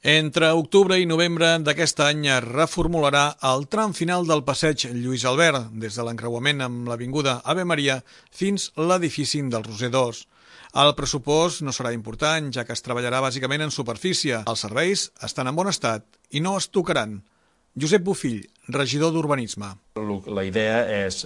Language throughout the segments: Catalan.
Entre octubre i novembre d'aquest any es reformularà el tram final del passeig Lluís Albert, des de l'encreuament amb l'avinguda Ave Maria fins l'edifici del Roser 2. El pressupost no serà important, ja que es treballarà bàsicament en superfície. Els serveis estan en bon estat i no es tocaran. Josep Bofill, regidor d'Urbanisme. La idea és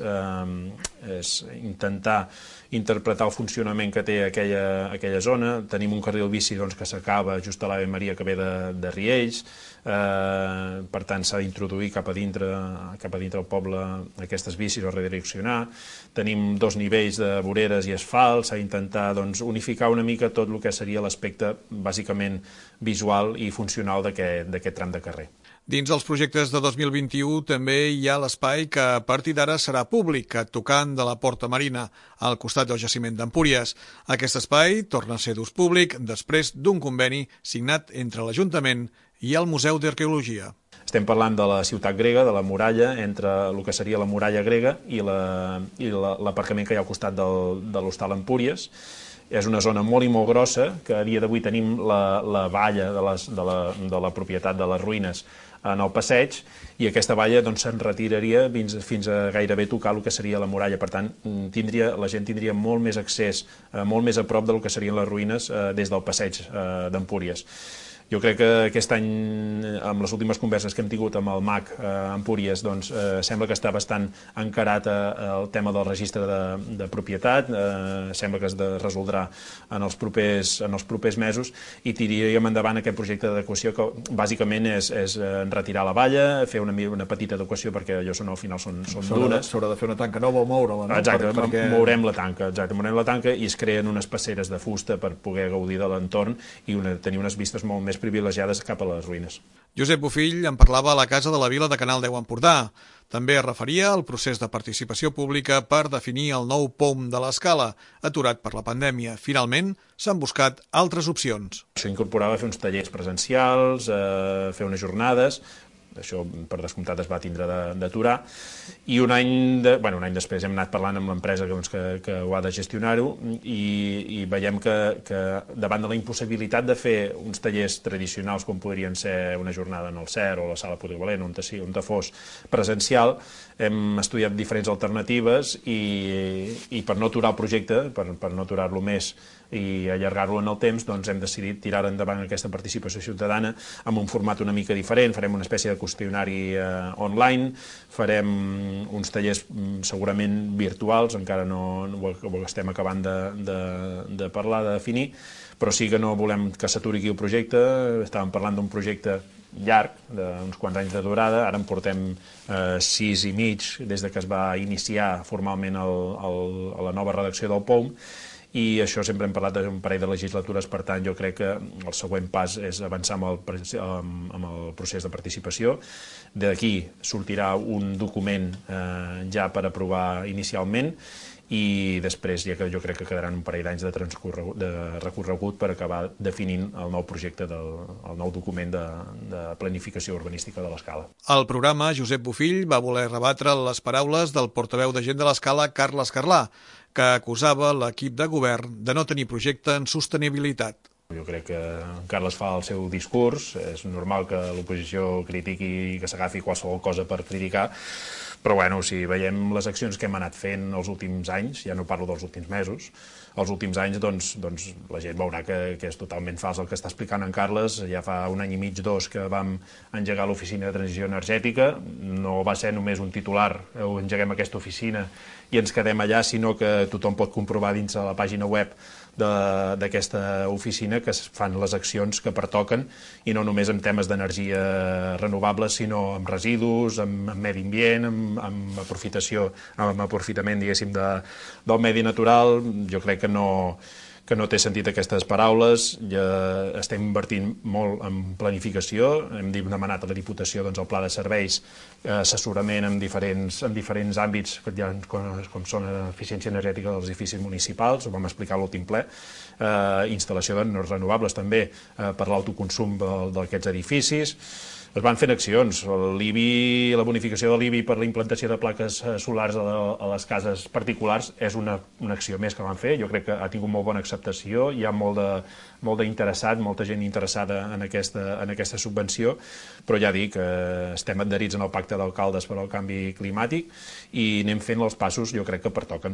intentar interpretar el funcionament que té aquella zona. Tenim un carril bici que s'acaba just a l'Ave Maria que ve de Riells, per tant s'ha d'introduir cap a dintre del poble aquestes bicis o redireccionar. Tenim 2 nivells de voreres i asfalt, s'ha d'intentar unificar una mica tot el que seria l'aspecte bàsicament visual i funcional d'aquest tram de carrer. Dins els projectes de 2021 també hi ha l'espai que a partir d'ara serà públic, tocant de la Porta Marina, al costat del jaciment d'Empúries. Aquest espai torna a ser d'ús públic després d'un conveni signat entre l'Ajuntament i el Museu d'Arqueologia. Estem parlant de la ciutat grega, de la muralla, entre el que seria la muralla grega i l'aparcament que hi ha al costat de l'Hostal Empúries. És una zona molt i molt grossa, que a dia d'avui tenim la valla de la propietat de les ruïnes en el passeig, i aquesta valla se'n retiraria fins a gairebé tocar el que seria la muralla. Per tant, la gent tindria molt més accés, molt més a prop del que serien les ruïnes des del passeig d'Empúries. Jo crec que aquest any, amb les últimes converses que hem tingut amb el MAC Empúries, sembla que està bastant encarat el tema del registre de propietat, sembla que es resoldrà en els propers mesos, i tiraríem endavant aquest projecte d'adequació que bàsicament és retirar la valla, fer una petita adequació perquè allò al final són dures. S'haurà de fer una tanca nova o moure-la, no? Exacte, mourem la tanca i es creen unes passeres de fusta per poder gaudir de l'entorn i tenir unes vistes molt més privilegiades cap a les ruïnes. Josep Bofill en parlava a la Casa de la Vila de Canal 10 Empordà. També es referia al procés de participació pública per definir el nou POM de l'Escala, aturat per la pandèmia. Finalment, s'han buscat altres opcions. S'incorporava a fer uns tallers presencials, fer unes jornades. Això, per descomptat, es va tindre d'aturar, i un any després hem anat parlant amb l'empresa que ho ha de gestionar-ho, i veiem que davant de la impossibilitat de fer uns tallers tradicionals com podrien ser una jornada en el CER o la sala polivalent, on fos presencial, hem estudiat diferents alternatives i per no aturar el projecte, per no aturar-lo més i allargar-lo en el temps, hem decidit tirar endavant aquesta participació ciutadana amb un format una mica diferent. Farem una espècie de qüestionari online, farem uns tallers segurament virtuals, encara no ho estem acabant de parlar, de definir, però sí que no volem que s'aturi aquí el projecte. Estàvem parlant d'un projecte llarg, d'uns quants anys de durada, ara en portem 6 i mig des que es va iniciar formalment a la nova redacció del POM, i això sempre hem parlat d'un parell de legislatures. Per tant, jo crec que el següent pas és avançar amb el procés de participació. D'aquí sortirà un document ja per aprovar inicialment, i després jo crec que quedaran un parell d'anys de recorregut per acabar definint el nou projecte, el nou document de planificació urbanística de l'Escala. Al programa, Josep Bofill va voler rebatre les paraules del portaveu de Gent de l'Escala, Carles Carlà, que acusava l'equip de govern de no tenir projecte en sostenibilitat. Jo crec que Carles fa el seu discurs, és normal que l'oposició critiqui i que s'agafi qualsevol cosa per criticar, però si veiem les accions que hem anat fent els últims anys, ja no parlo dels últims mesos, els últims anys, la gent veurà que és totalment fals el que està explicant en Carles. Ja fa un any i mig, 2, que vam engegar l'oficina de transició energètica. No va ser només un titular, engeguem aquesta oficina i ens quedem allà, sinó que tothom pot comprovar dins de la pàgina web d'aquesta oficina que es fan les accions que pertoquen, i no només en temes d'energia renovables, sinó amb residus, amb medi ambient, amb aprofitament, diguéssim, del medi natural. Jo crec que no té sentit aquestes paraules. Ja estem invertint molt en planificació, hem demanat a la Diputació el pla de serveis, assessorament en diferents àmbits, com són eficiència energètica dels edificis municipals, ho vam explicar a l'últim ple, instal·lació de renovables també per l'autoconsum d'aquests edificis. Es van fent accions. L'IBI, la bonificació de l'IBI per la implantació de plaques solars a les cases particulars és una acció més que van fer. Jo crec que ha tingut molt bona acceptació, hi ha molt d'interessat, molta gent interessada en aquesta subvenció, però ja dic, estem adherits en el pacte d'alcaldes per al canvi climàtic i anem fent els passos, jo crec que pertoquen.